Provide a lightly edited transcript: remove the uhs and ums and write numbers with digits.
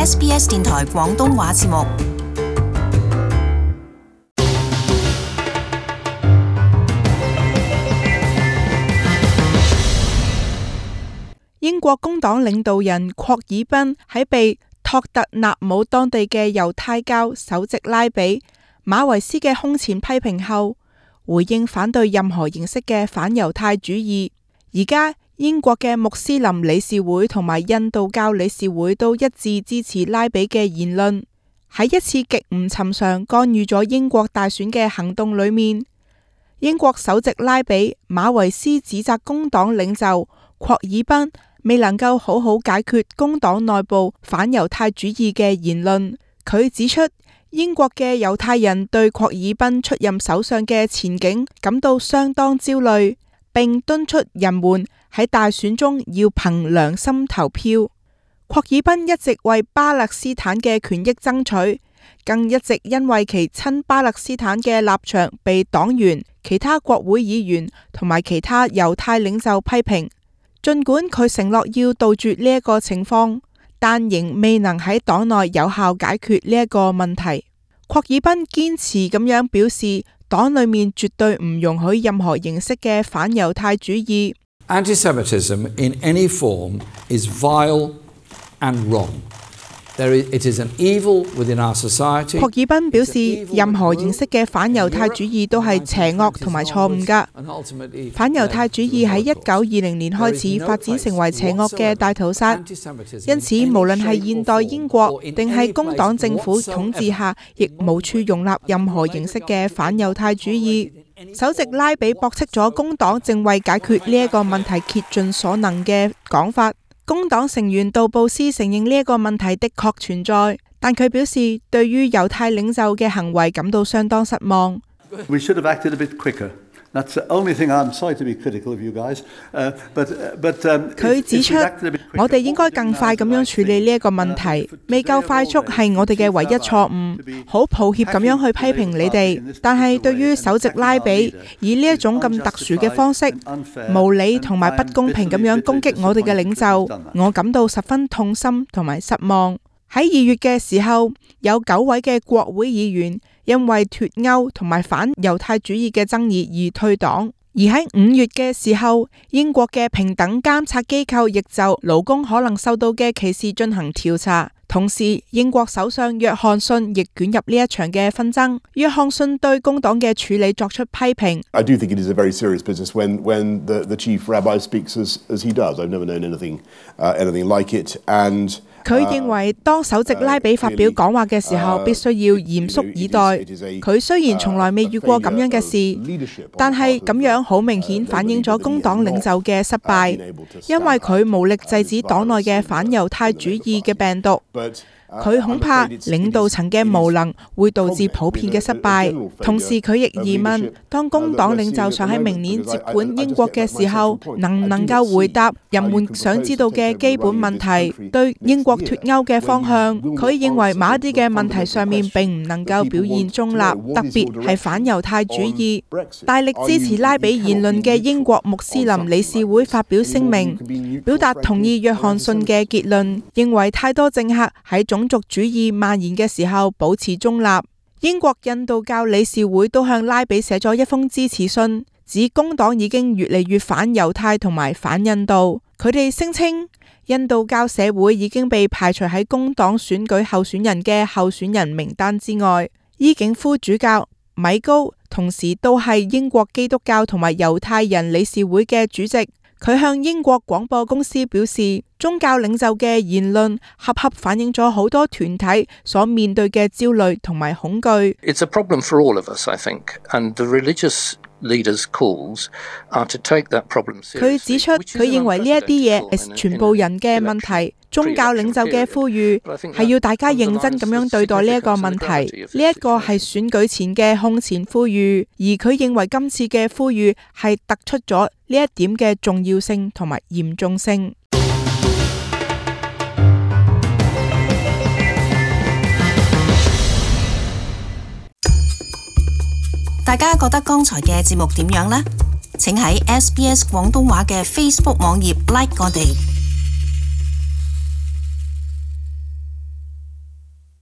SBS 電台廣東話節目。英國工黨領導人霍爾賓喺被托特納姆當地嘅猶太教首席拉比馬維斯嘅空前批評後，回應反對任何形式嘅反猶太主義。而家英國嘅穆斯林理事會同埋印度教理事會都一致支持拉比嘅言論。喺一次極唔尋常干預咗英國大選嘅行動裏面，英國首席拉比馬維斯指責工黨領袖霍爾賓未能夠好好解決工黨內部反猶太主義嘅言論。佢指出，英國嘅猶太人對霍爾賓出任首相嘅前景感到相當焦慮，並敦促人們喺大選中要憑良心投票。霍爾賓一直為巴勒斯坦嘅權益爭取，更一直因為其親巴勒斯坦嘅立場被黨員、其他國會議員同埋其他猶太領袖批評。儘管佢承諾要杜絕呢一個情況，但仍未能喺黨內有效解決呢一個問題。霍爾賓堅持咁樣表示，黨裏面絕對唔容許任何形式嘅反猶太主義。Anti-Semitism in any form is vile and wrong. It is an evil within our society. 霍爾賓表示，任何形式嘅反猶太主義都係邪惡同埋錯誤㗎。反猶太主義喺1920年開始發展成為邪惡嘅大屠殺，因此無論係現代英國定係工黨政府統治下，亦無處容納任何形式嘅反猶太主義。首席拉比駁斥咗工黨正為解決呢一個問題竭盡所能嘅講法。工黨成員杜布斯承認呢一個問題的確存在，但佢表示對於猶太領袖嘅行為感到相當失望。We should have acted a bit quicker. That's the only thing I'm sorry to be critical of you guys. But 佢指出，我哋應該更快咁樣處理呢一個問題，未夠快速係我哋嘅唯一錯誤。好抱歉咁樣去批評你哋，但係對於首席拉比以呢一種咁特殊嘅方式，無理同埋不公平咁樣攻擊我哋嘅領袖，我感到十分痛心同埋失望。喺2月嘅時候，有9位嘅國會議員因為脫歐同埋反猶太主義嘅爭議而退黨。而喺5月嘅時候，英國嘅平等監察機構亦就勞工可能受到嘅歧視進行調查。同時，英國首相約翰遜亦捲入呢一場嘅紛爭。約翰遜對工黨嘅處理作出批評。I do think it is a very serious business when the chief rabbi speaks as he does. I've never known anything like it. And佢認為當首席拉比發表講話嘅時候，必須要嚴肅以待。佢雖然從來未遇過咁樣嘅事，但係咁樣好明顯反映咗工黨領袖嘅失敗，因為佢無力制止黨內嘅反猶太主義嘅病毒。佢恐怕領導層嘅無能會導致普遍嘅失敗。同時佢亦疑問，當工黨領袖想喺明年接管英國嘅時候，能唔能夠回答人們想知道嘅基本問題，對英國脫歐嘅方向。佢認為某一啲嘅問題上面並唔能夠表現中立，特別係反猶太主義。大力支持拉比言論嘅英國穆斯林理事會發表聲明，表達同意約翰遜嘅結論，認為太多政客喺種族主義蔓延嘅時候保持中立。英國印度教理事會都向拉比寫咗一封支持信，指工黨已經越嚟越反猶太同埋反印度。佢哋聲稱印度教社會已經被排除喺工黨選舉候選人嘅候選人名單之外。伊景夫主教米高同時都係英國基督教同埋猶太人理事會嘅主席。佢向英國廣播公司表示，宗教領袖嘅言論恰恰反映咗好多團體所面對嘅焦慮同埋恐懼。It's a problem for all of us, I think, and the religious leaders' calls are to take that problem seriously. 佢指出，佢認為呢一啲嘢係全部人嘅問題。宗教領袖嘅呼籲係要大家認真咁樣對待呢一個問題。呢一個係選舉前嘅空前呼籲，而佢認為今次嘅呼籲係突出咗呢一點嘅重要性同埋嚴重性。大家覺得剛才嘅節目點樣呢？請喺SBS 廣東話嘅 Facebook 網頁 like 我哋。